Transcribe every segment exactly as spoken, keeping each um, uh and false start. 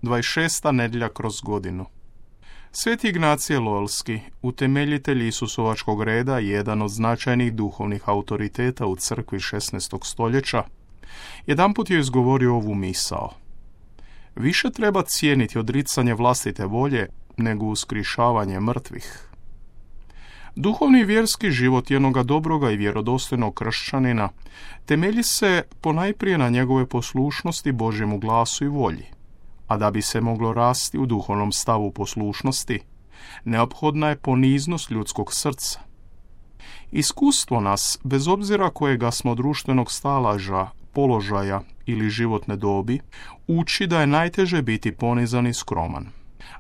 dvadeset šesta nedjelja kroz godinu. Sveti Ignacije Loyolski, utemeljitelj Isusovačkog reda i jedan od značajnih duhovnih autoriteta u crkvi šesnaestog stoljeća, jedanput je izgovorio ovu misao. Više treba cijeniti odricanje vlastite volje nego uskrišavanje mrtvih. Duhovni i vjerski život jednoga dobroga i vjerodostojnog kršćanina temelji se ponajprije na njegove poslušnosti Božjemu glasu i volji, a da bi se moglo rasti u duhovnom stavu poslušnosti, neophodna je poniznost ljudskog srca. Iskustvo nas, bez obzira kojega smo društvenog stalaža, položaja ili životne dobi, uči da je najteže biti ponizan i skroman,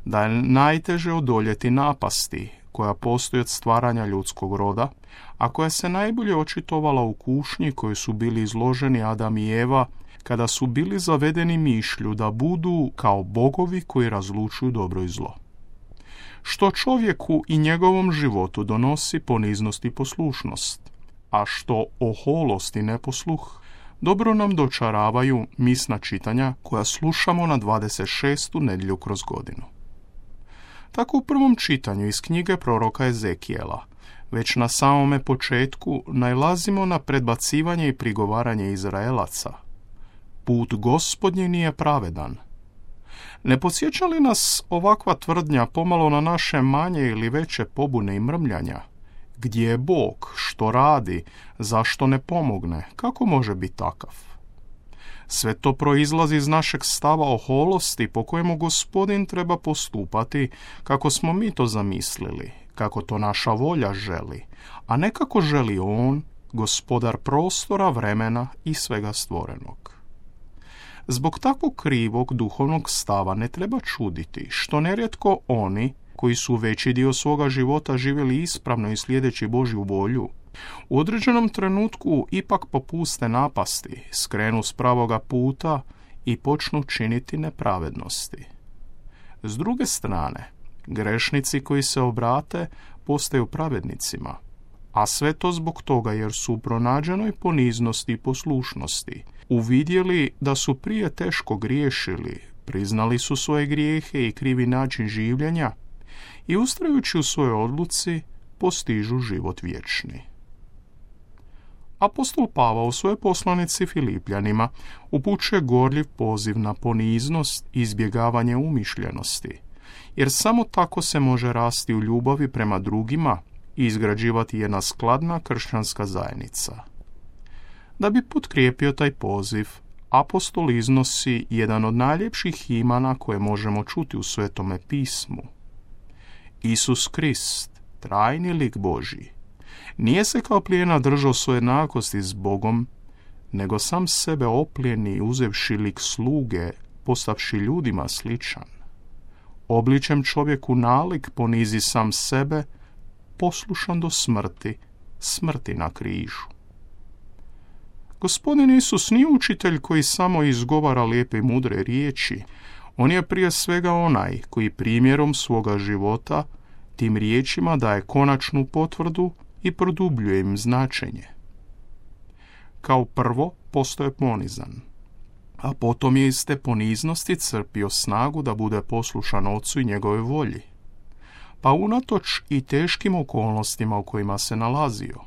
da je najteže odoljeti napasti koja postoji od stvaranja ljudskog roda, a koja se najbolje očitovala u kušnji koju su bili izloženi Adam i Eva, kada su bili zavedeni mišlju da budu kao bogovi koji razlučuju dobro i zlo. Što čovjeku i njegovom životu donosi poniznost i poslušnost, a što oholost i neposluh, dobro nam dočaravaju misna čitanja koja slušamo na dvadeset šestu nedjelju kroz godinu. Tako u prvom čitanju iz knjige proroka Ezekijela, već na samome početku nailazimo na predbacivanje i prigovaranje Izraelaca. Put Gospodnji nije pravedan. Ne podsjeća li nas ovakva tvrdnja pomalo na naše manje ili veće pobune i mrmljanja? Gdje je Bog? Što radi? Zašto ne pomogne? Kako može biti takav? Sve to proizlazi iz našeg stava oholosti po kojemu Gospodin treba postupati kako smo mi to zamislili, kako to naša volja želi, a ne kako želi On, gospodar prostora, vremena i svega stvorenog. Zbog takvog krivog duhovnog stava ne treba čuditi što nerijetko oni, koji su veći dio svoga života živjeli ispravno i slijedeći Božju volju, u određenom trenutku ipak popuste napasti, skrenu s pravoga puta i počnu činiti nepravednosti. S druge strane, grešnici koji se obrate postaju pravednicima, a sve to zbog toga jer su u pronađenoj poniznosti i poslušnosti uvidjeli da su prije teško griješili, priznali su svoje grijehe i krivi način življenja i ustrajući u svojoj odluci postižu život vječni. Apostol Pavao u svojoj poslanici Filipljanima upućuje gorljiv poziv na poniznost i izbjegavanje umišljenosti, jer samo tako se može rasti u ljubavi prema drugima i izgrađivati jedna skladna kršćanska zajednica. Da bi potkrijepio taj poziv, apostol iznosi jedan od najljepših imana koje možemo čuti u Svetome pismu. Isus Krist, trajni lik Božji, nije se kao plijena držao svoje jednakosti s Bogom, nego sam sebe oplijeni uzevši lik sluge, postavši ljudima sličan. Obličem čovjeku nalik ponizi sam sebe, poslušan do smrti, smrti na križu. Gospodin Isus nije učitelj koji samo izgovara lijepe i mudre riječi. On je prije svega onaj koji primjerom svoga života tim riječima daje konačnu potvrdu i produbljuje im značenje. Kao prvo postoje ponizan, a potom je iz te poniznosti crpio snagu da bude poslušan Ocu i njegove volji. Pa unatoč i teškim okolnostima u kojima se nalazio,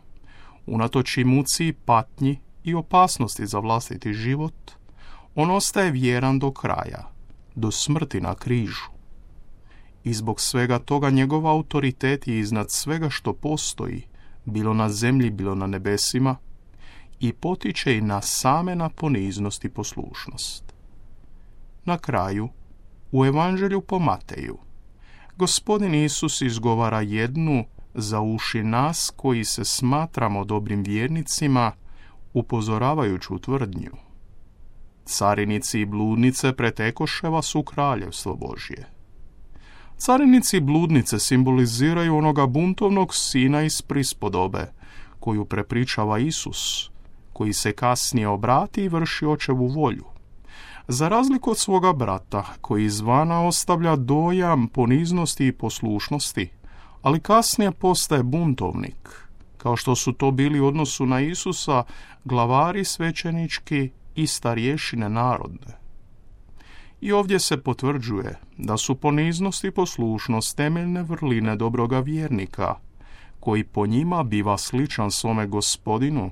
unatoč i muci i patnji i opasnosti za vlastiti život, on ostaje vjeran do kraja, do smrti na križu. I zbog svega toga njegov autoritet je iznad svega što postoji, bilo na zemlji, bilo na nebesima, i potiče i na same na poniznost i poslušnost. Na kraju, u Evanđelju po Mateju, Gospodin Isus izgovara jednu za uši nas koji se smatramo dobrim vjernicima, upozoravajuću tvrdnju. Carinici i bludnice pretekoše vas u kraljevstvo Božje. Carinici i bludnice simboliziraju onoga buntovnog sina iz prispodobe, koju prepričava Isus, koji se kasnije obrati i vrši očevu volju. Za razliku od svoga brata, koji izvana ostavlja dojam poniznosti i poslušnosti, ali kasnije postaje buntovnik, kao što su to bili u odnosu na Isusa glavari svećenički i starješine narodne. I ovdje se potvrđuje da su poniznost i poslušnost temeljne vrline dobroga vjernika, koji po njima biva sličan svome Gospodinu,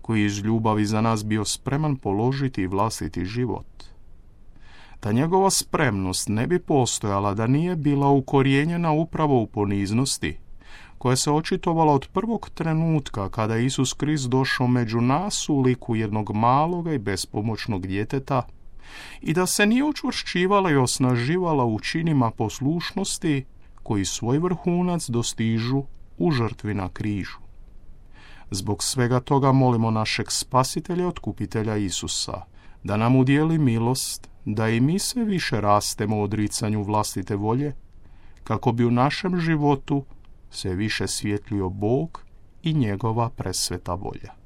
koji iz ljubavi za nas bio spreman položiti vlastiti život. Ta njegova spremnost ne bi postojala da nije bila ukorijenjena upravo u poniznosti, koja se očitovala od prvog trenutka kada je Isus Krist došao među nas u liku jednog maloga i bespomoćnog djeteta, i da se nije učvršćivala i osnaživala u činima poslušnosti koji svoj vrhunac dostižu u žrtvi na križu. Zbog svega toga molimo našeg Spasitelja i Otkupitelja Isusa da nam udijeli milost da i mi sve više rastemo u odricanju vlastite volje, kako bi u našem životu sve više svjetlio Bog i njegova presveta volja.